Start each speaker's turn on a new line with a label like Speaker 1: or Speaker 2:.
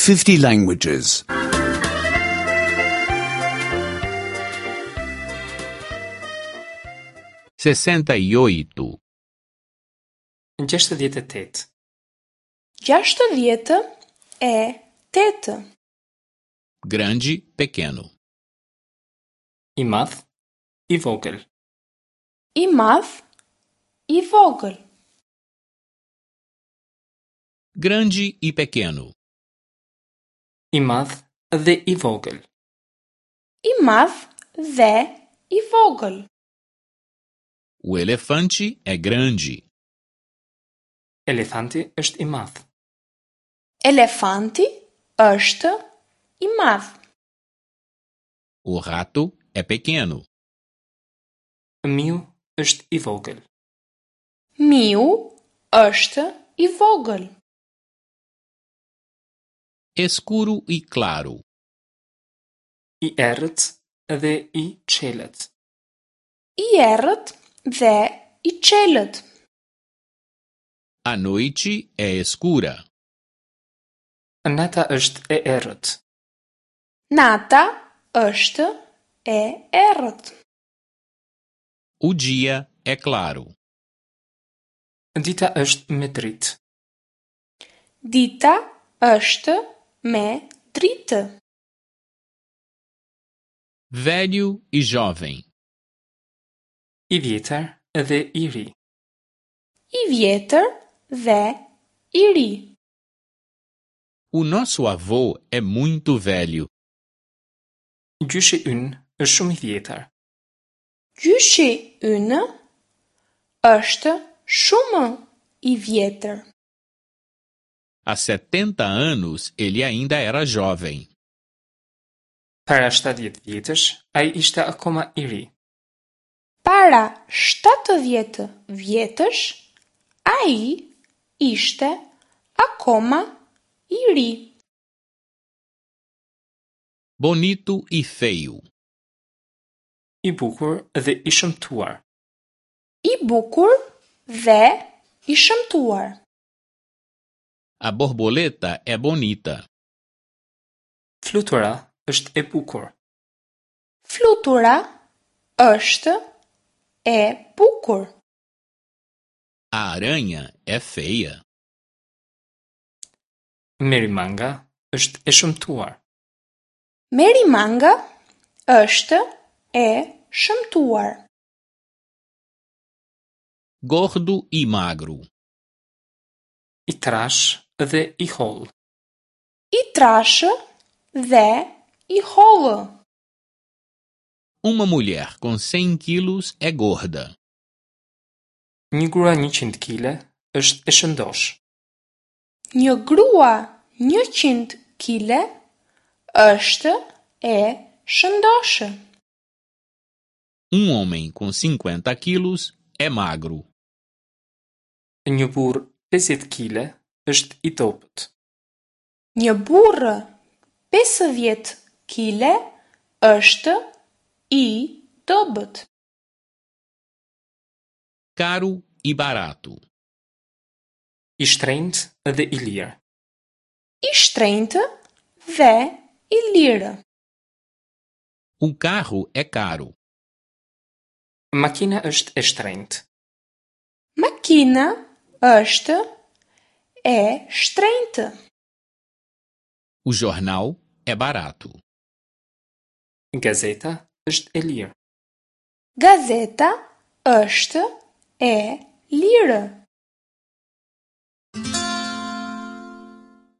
Speaker 1: 50 languages.
Speaker 2: 68.
Speaker 3: 68.
Speaker 4: 68.
Speaker 2: Grande, pequeno.
Speaker 3: I madh, i vogël.
Speaker 4: I madh, i vogël.
Speaker 2: Grande e pequeno.
Speaker 3: I madh dhe i vogël.
Speaker 4: I madh dhe i vogël.
Speaker 2: O elefante é grande.
Speaker 3: Elefanti është i madh.
Speaker 4: Elefanti është i madh.
Speaker 2: O rato é pequeno.
Speaker 3: Miu është i vogël.
Speaker 4: Miu është i vogël.
Speaker 2: Escuro e claro.
Speaker 3: I errët dhe i çelët.
Speaker 4: I errët dhe i çelët.
Speaker 2: A noite é escura.
Speaker 3: Nata është e errët.
Speaker 4: Nata është e errët.
Speaker 2: O dia é claro.
Speaker 3: Dita është me dritë.
Speaker 4: Dita është me dritë.
Speaker 2: Velho e jovem.
Speaker 3: I vjetër dhe i ri.
Speaker 4: I vjetër dhe i ri.
Speaker 2: O nosso avô é muito velho.
Speaker 3: Gjyshi ynë është shumë i vjetër.
Speaker 4: Gjyshi ynë është shumë i vjetër.
Speaker 2: Há 70 anos ele ainda era jovem.
Speaker 3: Para 70 vjetësh ai ishte akoma i ri.
Speaker 4: Para 70 vjetësh ai ishte akoma i ri.
Speaker 2: Bonito e feio.
Speaker 3: I bukur dhe i shëmtuar.
Speaker 4: I bukur dhe i shëmtuar.
Speaker 2: A borboleta é bonita.
Speaker 3: Flutura është e bukur.
Speaker 4: Flutura është e bukur.
Speaker 2: A aranha é feia.
Speaker 3: Merimanga është e shëmtuar.
Speaker 4: Merimanga është e shëmtuar.
Speaker 2: Gordo e magro.
Speaker 3: I trashë dhe i hollë.
Speaker 4: I trashë dhe i hollë.
Speaker 2: Uma mulher com 100 quilos é gorda.
Speaker 3: Një grua 100 kile është e shëndoshë.
Speaker 4: Një grua 100 kile është e shëndoshë.
Speaker 2: Um homem com 50 quilos é magro.
Speaker 3: Një burrë 50 kile është i dobët.
Speaker 4: Një burrë 50 kile është i dobët.
Speaker 2: Caro e barato.
Speaker 3: I shtrenjtë dhe i lirë.
Speaker 4: I shtrenjtë dhe i lirë.
Speaker 2: O carro é caro.
Speaker 3: Makina është e shtrenjtë.
Speaker 4: Makina është e shtrenjtë.
Speaker 2: O jornal é barato.
Speaker 3: Gazeta është e lirë.
Speaker 4: Gazeta është e lirë.